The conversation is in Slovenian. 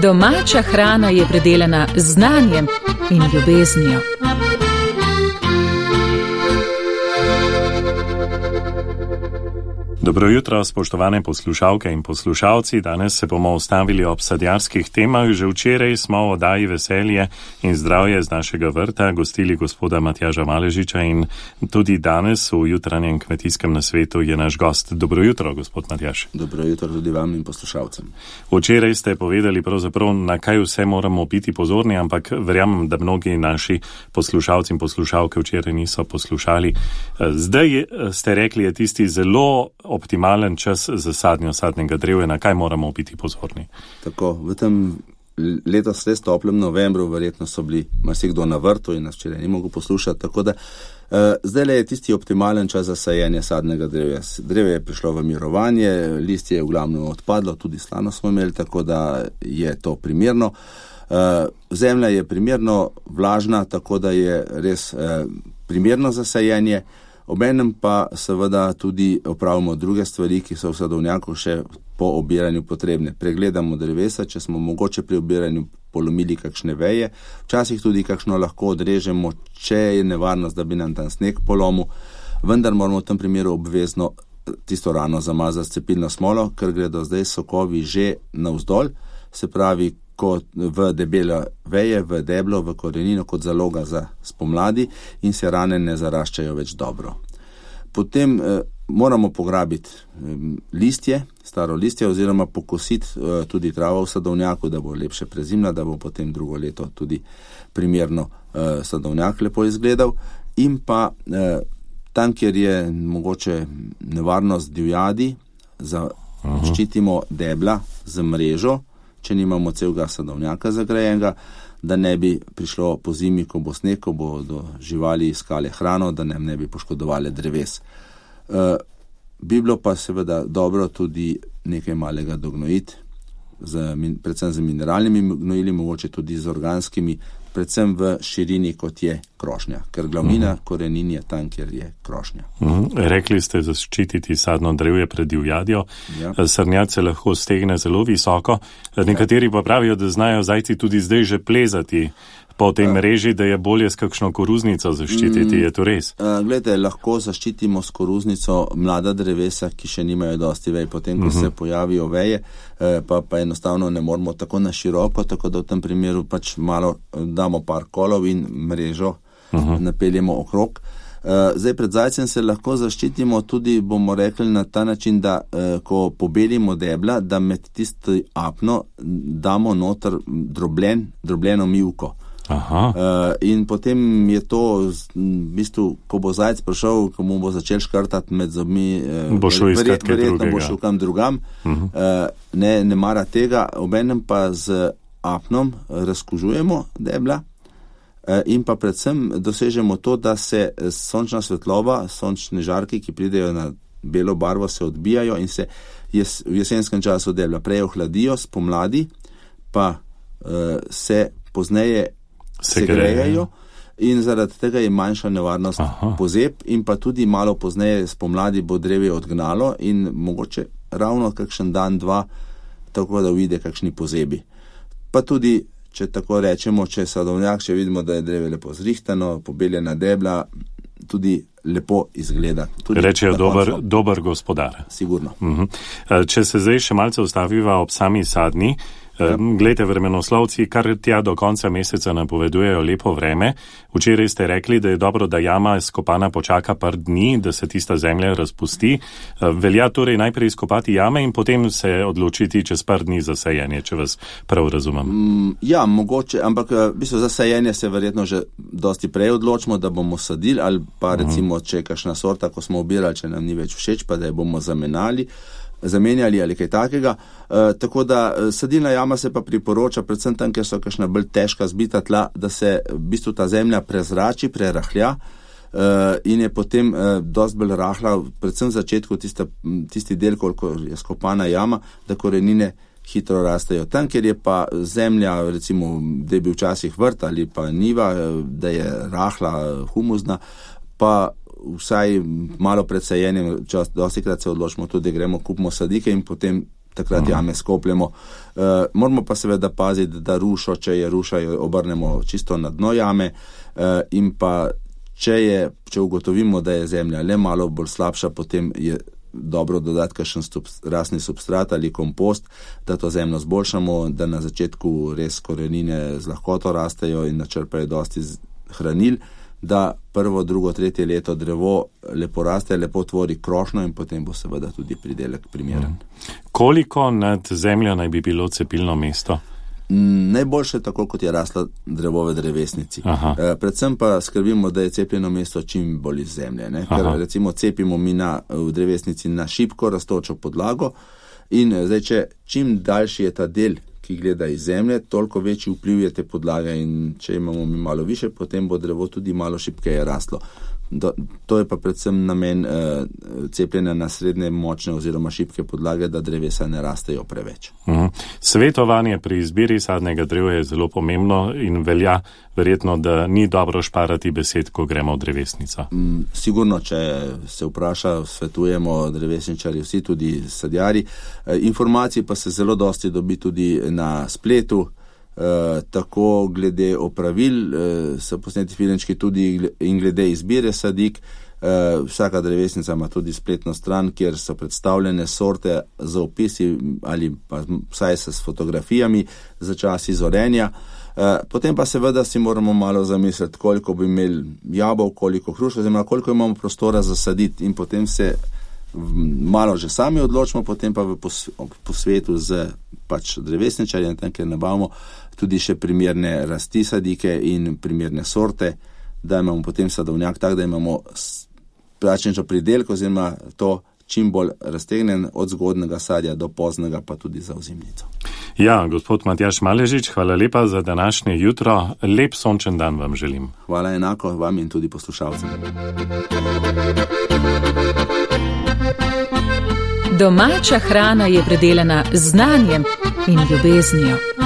Domača hrana je predelana z znanjem in ljubeznijo. Dobro jutro, spoštovane poslušalke in poslušalci. Danes se bomo ustavili ob sadjarskih temah. Že včeraj smo v oddaji Veselje in zdravje z našega vrta gostili gospoda Matjaža Maležiča in tudi danes v jutranjem kmetijskem nasvetu je naš gost. Dobro jutro, gospod Matjaž. Dobro jutro tudi vam in poslušalcem. Včeraj ste povedali pravzaprav, na kaj vse moramo biti pozorni, ampak verjamem, da mnogi naši poslušalci in poslušalke včeraj niso poslušali. Zdaj ste rekli, je tisti zelo optimalen čas za sadnjo sadnega drevja, na kaj moramo biti pozorni? Tako, v tem letos res toplem novembru verjetno so bili marsikdo na vrtu in nas včeraj ni mogel poslušati, tako da zdaj je tisti optimalen čas za sajenje sadnega drevja. Drevje je prišlo v mirovanje, listje je v glavnem odpadlo, tudi slano smo imeli, tako da je to primerno. Zemlja je primerno vlažna, tako da je res primerno za sajenje. Obenem pa seveda tudi opravimo druge stvari, ki so v sadovnjaku še po obiranju potrebne. Pregledamo drevesa, če smo mogoče pri obiranju polomili kakšne veje, včasih tudi kakšno lahko odrežemo, če je nevarnost, da bi nam tam sneg polomil, vendar moramo v tem primeru obvezno tisto rano zamazati s cepilno smolo, ker gredo zdaj sokovi že navzdol, se pravi, kot v debele veje, v deblo, v korenino, kot zaloga za spomladi in se rane ne zaraščajo več dobro. Potem moramo pograbiti listje, staro listje oziroma pokositi tudi travo v sadovnjaku, da bo lepše prezimla, da bo potem drugo leto tudi primerno sadovnjak lepo izgledal. In pa tam, kjer je mogoče nevarnost divjadi, ščitimo debla z mrežo, če nimamo celega sadovnjaka zagrajenega, da ne bi prišlo po zimi, ko bo sneg, ko bodo živali iskale hrano, da nam ne bi poškodovali dreves. Bi bilo pa seveda dobro tudi nekaj malega dognojiti, predvsem z mineralnimi gnojili, mogoče tudi z organskimi, predvsem v širini, kot je krošnja, ker glavnina korenin je tam, kjer je krošnja. Rekli ste, zaščititi sadno drevje pred divjadjo. Ja. Srnjad se lahko stegne zelo visoko. Nekateri pa pravijo, da znajo zajci tudi zdaj že plezati po tej mreži, da je bolje s kakšno koruznico zaščititi. Je to res? Glejte, lahko zaščitimo s koruznico mlada drevesa, ki še nimajo dosti vej. Potem, ko se pojavijo veje, pa enostavno ne moramo tako na široko, tako da v tem primeru pač malo damo par kolov in mrežo napeljemo okrog. Zdaj pred zajcem se lahko zaščitimo tudi, bomo rekli, na ta način, da ko pobelimo debla, da med tisto apno damo noter drobljeno mivko. In potem je to v bistvu, ko bo zajec prišel, ko mu bo začel škrtati med zobmi, verjetno bo šel kam drugam, ne mara tega, obenem pa z apnom razkužujemo debla in pa predvsem dosežemo to, da se sončna svetlova, sončne žarki, ki pridejo na belo barvo, se odbijajo in se v jesenskem času debla prej ohladijo, spomladi pa se pozneje segrejajo in zaradi tega je manjša nevarnost pozeb in pa tudi malo pozneje spomladi bo drevje odgnalo in mogoče ravno kakšen dan, dva, tako da uide kakšni pozebi. Pa tudi, če tako rečemo, če sadovnjak, če vidimo, da je drevje lepo zrihtano, pobeljena debla, tudi lepo izgleda. Rečejo dober gospodar. Sigurno. Če se zdaj še malce ustaviva ob sami sadni, glejte, vremenoslovci kar tja do konca meseca napovedujejo lepo vreme. Včeraj ste rekli, da je dobro, da jama skopana počaka par dni, da se tista zemlja razpusti. Velja torej najprej skopati jame in potem se odločiti čez par dni za sajenje, če vas prav razumem. Ja, mogoče, ampak v bistvu za sajenje se verjetno že dosti prej odločimo, da bomo sadili, ali pa recimo, če je kakšna sorta, ko smo obirali, če nam ni več všeč, pa da jo bomo zamenjali ali kaj takega. Tako da sadilna jama se pa priporoča, predvsem tam, ker so kakšna bolj težka zbita tla, da se v bistvu ta zemlja prezrači, prerahlja in je potem dosti bolj rahla, predvsem v začetku tisti del, koliko je skopana jama, da korenine hitro rastejo. Tam, kjer je pa zemlja, recimo, da je bil včasih vrt ali pa niva, da je rahla, humusna, pa vsaj malo pred sajenjem, dostikrat se odločimo tudi, gremo, kupimo sadike in potem takrat jame skopljemo. Moramo pa seveda paziti, da rušo, če je ruša, jo obrnemo čisto na dno jame in pa če ugotovimo, da je zemlja le malo bolj slabša, potem je dobro dodati kakšen rasni substrat ali kompost, da to zemljo zboljšamo, da na začetku res korenine z lahkoto rastejo in načrpajo dosti hranil, da prvo, drugo, tretje leto drevo lepo raste, lepo tvori krošnjo in potem bo seveda tudi pridelek primeren. Koliko nad zemljo naj bi bilo cepilno mesto? Najboljše tako, kot je raslo drevo v drevesnici. Predvsem pa skrbimo, da je cepljeno mesto čim bolj iz zemlje. Ker recimo cepimo mi v drevesnici na šibko rastočo podlago in zdaj, če čim daljši je ta del, ki gleda iz zemlje, toliko večji vpliv je te podlage in če imamo mi malo više, potem bo drevo tudi malo šibkeje raslo. To je pa predvsem namen cepljenja na srednje močne oziroma šibke podlage, da drevesa ne rastejo preveč. Svetovanje pri izbiri sadnega drevja je zelo pomembno in velja verjetno, da ni dobro šparati besed, ko gremo v drevesnico. Sigurno, če se vpraša, svetujemo drevesničari, vsi tudi sadjari. Informacij pa se zelo dosti dobi tudi na spletu, tako glede opravil, so posneti filmčki tudi in glede izbire sadik. Vsaka drevesnica ima tudi spletno stran, kjer so predstavljene sorte z opisi ali pa vsaj s fotografijami za čas izorenja. Potem pa seveda si moramo malo zamisliti, koliko bi imeli jabolk, koliko hrušk, oziroma koliko imamo prostora za saditi in potem se malo že sami odločimo, potem pa v posvetu z drevesničarjem, ker nabavimo tudi še primerne rasti sadike in primerne sorte, da imamo potem sadovnjak tak, da imamo pračnično pridelko, oziroma to čim bolj raztegnen od zgodnega sadja do poznega, pa tudi za ozimnico. Ja, gospod Matjaž Maležič, hvala lepa za današnje jutro. Lep sončen dan vam želim. Hvala enako vam in tudi poslušalcem. Domača hrana je predelana z znanjem in ljubeznijo.